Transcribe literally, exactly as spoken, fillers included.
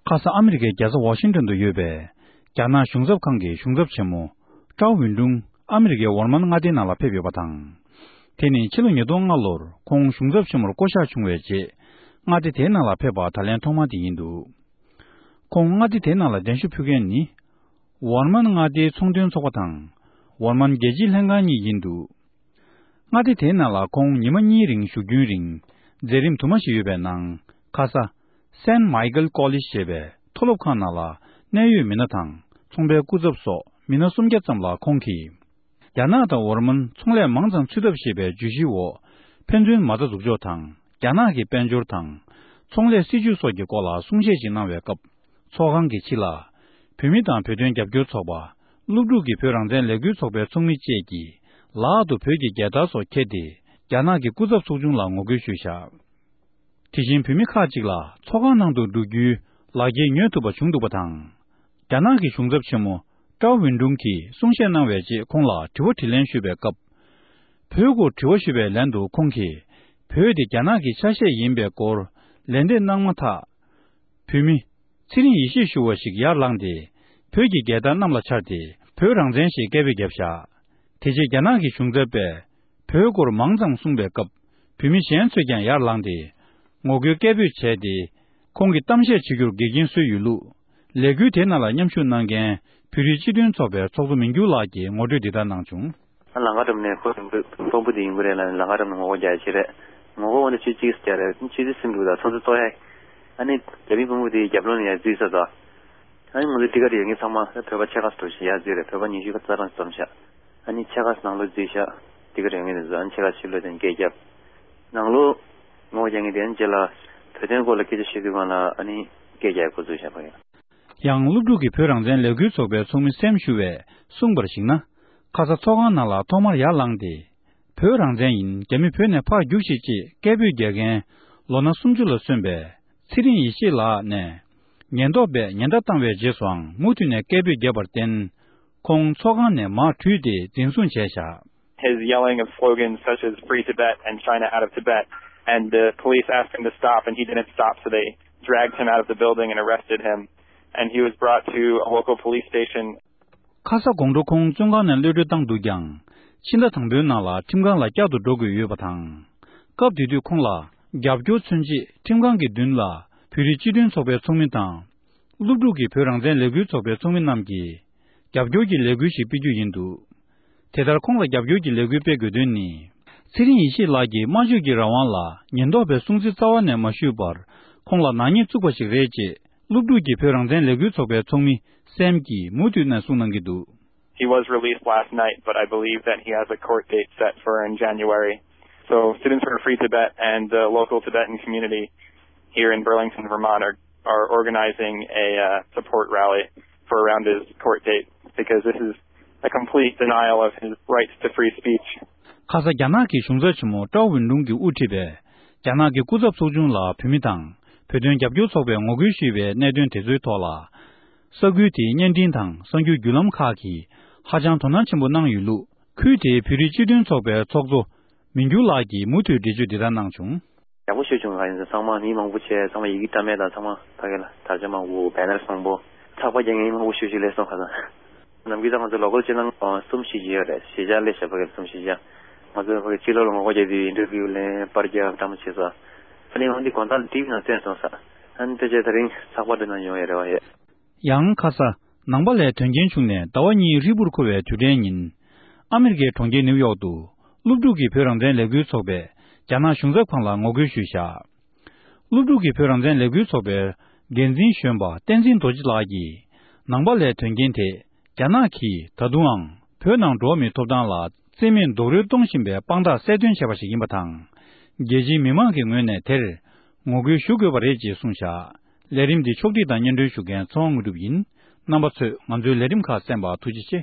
ཁ་ས་ཨ་མི་རི་ཀའི་རྒྱལ་ས་ཝ་ཤིང་ཏོན་དུ་ཡོད་པའི་རྒྱ་ནག་གཞུང་ཚབ་ཁང་གི་གཞུང་ཚབ་ཆེན་མོ་ཀྲའོ་ཝུན་ཀྲུང་ཨ་མི་རི་ཀའི་ཝར་མན་མངའ་སྡེའི་ནང་ལ་ཕེབས་ཡོད་པ་དང་། དེ་ནི་ཕྱི་ལོ་ཉིས་སྟོང་ལྔ་ལོར་ཁོང་གཞུང་ཚབ་ཆེན་མོར་བསྐོ་གཞག་བྱུང་བའི་རྗེས། མངའ་སྡེ་དེའི་ནང་ལ་ཕེབས་པ་ད་ལན་ཐོག་མ་དེ་ཡིན་འདུག་ཁོང་མངའ་སྡེ་དེའི་ནང་ལ་གདན་ཞུ་ཕུལ་མཁན་ནི། ཝར་མན་མངའ་སྡེའི་ཚོང་དོན་ཚོགས་པ་དང་། ཝར་མན་རྒྱལ་སྤྱིའི་ལྷན་ཁང་གཉིས་ཡིན་འདུག་མངའ་སྡེ་དེའི་ནང་ལ་ཁོང་ཉི་མ་གཉིས་རིང་བཞུགས་རྒྱུན་རིང་མཛད་རིམ་དུ་མ་ཞིག་ཡོད་པའི་ནང་། ཁ་ས་Saint Michael College ཞེས་པའི་མཐོ་སློབ་ཁང་ནང་ལ་གནད་ཡོད་མི་སྣ་དང་ཚོང་པའི་སྐུ་ཚབ་སོགས་མི་སྣ་སུམ་བརྒྱ་ཙམ་ལ་ཁོང་གིས། རྒྱ་ནག་དང་ཝར་མན་ཚོང་ལས་མང་ཙམ་ཚུད་ཐབས་ཞེས་པའི་བརྗོད་གཞིའི་འོག་ཕན་ཚུན་མ་རྩ་འཛུགས་ཕྱོགས་དང་རྒྱ་ནག་གི་དཔལ་འབྱོར་དང་ཚོང་ལས་སྲིད་ཇུས་སོགས་ཀྱི་སྐོར་ལ་གསུང་བཤད་ཅིག་གནང་བའི་སྐབས། ཚོགས་ཁང་གི་ཕྱི་ལ། བོད་མི་དང་བོད་དོན་རྒྱབ་སྐྱོར་ཚོགས་པ། སློབ་ཕྲུག་གི་བོད་རང་བཙན་ལས་འགུལ་ཚོགས་པའི་ཚོགས་མི་བཅས་ཀྱིས་ལག་ཏུ་བོད་ཀྱི་རྒྱལ་དར་སོགས་འཁྱེར་ཏེ། རྒྱ་ནག་གི་སྐུ་ཚབ་ཚོགས་ཆུང་ལ་ངོ་རྒོལ་ཞུས་བཞག་དེ་བཞིན་བོད་མི་ཁག་ཅིག་ལ་ཚོགས་ཁང་ནང་དུ་འགྲོ་རྒྱུའི་ལག་འཁྱེར་ཉོ་ཐུབ་པ་བྱུང་འདུག་པ་དང་། རྒྱ་ནག་གི་གཞུང་ཚབ་ཆེན་མོ་ཀྲའོ་ཝུན་ཀྲུང་གིས་གསུང་བཤད་གནང་བའི་རྗེས་ཁོང་ལ་དྲི་བ་དྲིས་ལན་ཞུས་པའི་སྐབས། བོད་སྐོར་དྲི་བ་ཞུས་པའི་ལན་དུ་ཁོང་གིས། བོད་དེ་རྒྱ་ནག་གི་ཆ་ཤས་ཡིན་པའི་སྐོར་ལན་འདེབས་གནང་མ་ཐག་བོད་མི། ཚེ་རིང་ཡེ་ཤེས་ཞུ་བ་ཞིག་ཡར་ལངས་ཏེ། བོད་ཀྱི་རྒྱལ་དར་གནམ་ལ་འཕྱར་ཏེ། བོད་རང་བཙན་ཞེས་སྐད་འབོད་བརྒྱབ་བཞག་དེ་རྗེས་རྒྱ་ནག་གི་གཞུང་ཚབ་པས། བོད་སྐོར་མང་ཙམ་གསུངས་པའི་སྐབས། བོད་མི་གཞན་ཚོས་ཀྱང་ཡར་ལངས་ཏེ། ངོ་རྒོལ་སྐད་འབོད་བྱས་ཏེ། ཁོང་གིས་གཏམ་བཤད་བྱེད་རྒྱུར་འགལ་རྐྱེན་བཟོས་ཡོད་ལུགས། ལས་འགུལ་དེའི་ནང་ལ་མཉམ་ཞུགས་གནང་མཁན། བོད་རིགས་སྤྱི་མཐུན་ཚོགས་པའི་ཚོགས་གཙོ་མིང་འགྱུར་ལགས་ཀྱིས་ངོ་སྤྲོད་འདི་ལྟར་གནང་བྱུང་། ལམ་ཁ་འགྲམ་ནས་ཁོ་དཔོན་པོ་དེ་ཡིན་དགོས་རེད་ལ། ལམ་ཁ་འགྲམ་ནས་ངོ་རྒོལ་རྒྱག་ཡ་ཆེ་རེད། ངོ་རྒོལ་འོ་ན་ཆུ་གཅིག་རྒྱག་རེད། ཆུ་གཅིག་སིམ་འདུག་ད་ཚོ་ཚོ་ཏོ་ཡ། ཨ་ནི་རྒྱ་མི་དཔོན་པོ་དེའི་རྒྱབ་ལོགས་ནས་ཡར་འཛུལ་ས་དང་། ཨ་ནི་ང་ཚོ་ཊི་ཀ་ཊི་ཡོད་མཁན་ཚང་མ་བོད་པ་ཕྱེད་ཀ་ཙམ་ཞིག་ཡར་འཛུལ་རེད། བོད་པ་ཉི་ཤུ་རྩ་གྲངས་ཙམ་ཤག་ཨ་ནི་ཕྱེད་ཀ་ནང་ལོགས་འཛུལ་ཤག་ཊི་ཀ་ཊི་ཡོད་མཁན་དེ་ཚོ་ཨ་ནི་ཕྱེད་ཀ་ཕྱི་ལོགས་དེ་སྐད་རྒྱབ། ནང་ལོགས་ངོ་རྒོལ་རྒྱག་མཁན་དེ་ཨ་ནི་རྗེས་ལ་བོད་དོན་སྐོར་ལ་སྐད་ཆ་བཤད་དུས་སྒང་ལ་ཨ་ནི་སྐད་རྒྱག་འགོ་འཛུགས་བྱས་པ་རེད། ཡང་སློབ་ཕྲུག་གི་བོད་རང་བཙན་ལས་འགུལ་ཚོགས་པའི་ཚོགས་མི་སེམ་ཞུ་བས་གསུངས་པར་གཞིགས་ན། ཁ་ས་ཚོགས་ཁང་ནང་ལ་ཐོག་མར་ཡར་ལངས་ཏེ། བོད་རང་བཙན་ཡིན། རྒྱ་མི་བོད་ནས་ཕར་རྒྱུགས་ཤིག་ཅེས་སྐད་འབོད་རྒྱག་མཁན། ལོ་ན་སུམ་ཅུ་ལ་སོན་པའི་ཚེ་རིང་ཡེ་ཤེས་ལགས་ནས། ཉེན་རྟོག་པས་ཉེན་བརྡ་བཏང་བའི་རྗེས་སུའང་མུ་མཐུད་ནས་སྐད་འབོད་བརྒྱབ་པར་བརྟེན། ཁོང་ཚོགས་ཁང་ནས་མར་བྲོས་ཏེ་འཛིན་བཟུང་བྱས་བཞག His yelling of slogans such as "Free Tibet" and "China out of Tibet," and the police asked him to stop, and he didn't stop, so they dragged him out of the building and arrested him, and he was brought to a local police station. ཁ་ས་དགོང་དྲོ་ཁོང་བཙོན་ཁང་ནས་གློད་གྲོལ་བཏང་འདུག་ཀྱང་། ཕྱི་ཟླ་དང་པོའི་ནང་ལ་ཁྲིམས་ཁང་ལ་བསྐྱར་དུ་འགྲོ་དགོས་ཡོད་པ་དང་། སྐབས་དེ་དུས་ཁོང་ལ་རྒྱབ་སྐྱོར་མཚོན་ཆེད་ཁྲིམས་ཁང་གི་མདུན་ལ་བོད་རིགས་སྤྱི་མཐུན་ཚོགས་པའི་ཚོགས་མི་དང་། སློབ་ཕྲུག་གི་བོད་རང་བཙན་ལས་འགུལ་ཚོགས་པའི་ཚོགས་མི་རྣམས་ཀྱིས་རྒྱབ་སྐྱོར་གྱི་ལས་འགུལ་ཞིག་སྤེལ་རྒྱུ་ཡིན་འདུག་དེ་ལྟར་ཁོང་ལ་རྒྱབ་སྐྱོར་གྱི་ལས་འགུལ་སྤེལ་དགོས་དོན་ནི། ཚེ་རིང་ཡེ་ཤེས་ལགས་ཀྱིས་སྨྲ་བརྗོད་ཀྱི་རང་དབང་ལ་ཉེན་རྟོག་པའི་སྲུང་བརྩི་རྩ་བ་ནས་མ་ཞུས་པར་ཁོང་ལ་ནག་ཉེས་བཙུགས་པ་ཞིག་རེད་ཅེས་སློབ་ཕྲུག་གི་བོད་རང་བཙན་ལས་འགུལ་ཚོགས་པའི་ཚོགས་མི་སེམ་གྱིས་མུ་མཐུད་ནས་གསུངས་གནང་གི་འདུག He was released last night, but I believe that he has a court date set for in January. So Students for Free Tibet and the local Tibetan community here in Burlington, Vermont are, are organizing a uh, support rally for around his court date because this is a complete denial of his rights to free speech. ཁ་ས་རྒྱ་ནག་གི་གཞུང་ཚབ་ཆེན་མོ་ཀྲའོ་ཝུན་ཀྲུང་གིས་དབུ་ཁྲིད་པའི་རྒྱ་ནག་གི་སྐུ་ཚབ་ཚོགས་ཆུང་ལ་བོད་མི་དང་བོད་དོན་རྒྱབ་སྐྱོར་ཚོགས་པས་ངོ་རྒོལ་ཞུས་པའི་གནད་དོན་དེ་ཚོའི་ཐོག་ལ། ས་ཁུལ་དེའི་བརྙན་འཕྲིན་དང་གསར་འགྱུར་བརྒྱུད་ལམ་ཁག་གིས་ཧ་ཅང་དོ་སྣང་ཆེན་པོ་གནང་ཡོད་ལུགས། ཁུལ་དེའི་བོད་རིགས་སྤྱི་མཐུན་ཚོགས་པའི་ཚོགས་གཙོ་མིང་འགྱུར་ལགས་ཀྱིས་མུ་མཐུད་འགྲེལ་བརྗོད་འདི་ལྟར་གནང་བྱུང་། ཡག་པོ་ཞེ་པོ་བྱུང་། ང་ཡིན་ཚང་མ་མི་མང་པོ་བྱས། ཚང་མ་ཡི་གེ་བཀྲམ་མེད་དང་། ཚང་མ་ཕ་གི་ལ་དར་ཆ་མང་པོ། བེ་ནར་བཟང་པོ། ཚགས་པར་རྒྱག་མཁན་མི་མང་པོ་ཞེ་པོ་ཞིག་སླེབས་སོང་ཁ་སང་། ནམ་རྒྱུན་ད་ང་ཚོ་ལོ་ཀལ་ཅིག་ནང་གསུམ་བཞི་ཅིག་ཡོད་རེད། གཞིས་ཆགས་སླེབས་ཤག་ཕ་གི་གསུམ་བཞི་ཅིག་ང་ཚོ་ཕ་གི་ཕྱི་ལོགས་ལ་ངོ་རྒོལ་རྒྱག་དུས་ཨིན་ཊར་བིའུ་ལེན། པར་རྒྱག་འདྲ་མོ་བྱས་སོང་། ཨ་ནི་འོན་ཏེ་དགོང་དག་ལ་ཊི་ཝི་ནང་བཏོན་སོང་ས། ཨ་ནི་དེ་རྗེས་ད་རིང་ཚགས་པར་དེ་ནང་ཡོང་ཡོད་རེད་བ་ཡོད། ཡང་ཁ་ས་ནང་པ་ལའི་དོན་རྐྱེན་བྱུང་ནས་ཟླ་བ་གཉིས་ཧྲིལ་པོར་འཁོར་བའི་དུས་དྲན་ཉིན། ཨ་མི་རི་ཀའི་གྲོང་ཁྱེར་ནིའུ་ཡོག་ཏུ་སློབ་ཕྲུག་གི་བོད་རང་བཙན་ལས་འགུལ་ཚོགས་པས་རྒྱ་ནག་གཞུང་ཚབ་ཁང་ལ་ངོ་རྒོལ་ཞུས་བཞག་སློབ་ཕྲུག་གི་བོད་རང་བཙན་ལས་འགུལ་ཚོགས་པའི་འགན་འཛིན་གཞོན་པ་བསྟན་འཛིན་རྡོ་རྗེ་ལགས་ཀྱིས། ནང་པ་ལའི་དོན་རྐྱེན་དེ་རྒྱ་ནག་གིས་ད་དུང་ཡང་བོད་ནང་འགྲོ་བ་མིའི་ཐོབ་ཐང་ལ་བརྩི་མེད་རྡོག་རོལ་གཏོང་བཞིན་པའི་དཔང་རྟགས་གསལ་སྟོན་བྱས་པ་ཞིག་ཡིན་པ་དང་། རྒྱལ་སྤྱིའི་མི་མང་གི་ངོས་ནས་དེར་ངོ་རྒོལ་ཞུ་དགོས་པ་རེད་ཅེས་གསུངས་བཞག་ལས་རིམ་འདི་ཕྱོགས་སྒྲིག་དང་སྙན་སྒྲོན་ཞུ་མཁན་ཚེ་དབང་དངོས་གྲུབ་ཡིན། རྣམ་པ་ཚོས་ང་ཚོའི་ལས་རིམ་ཁག་གསན་པར་ཐུགས་རྗེ་ཆེ།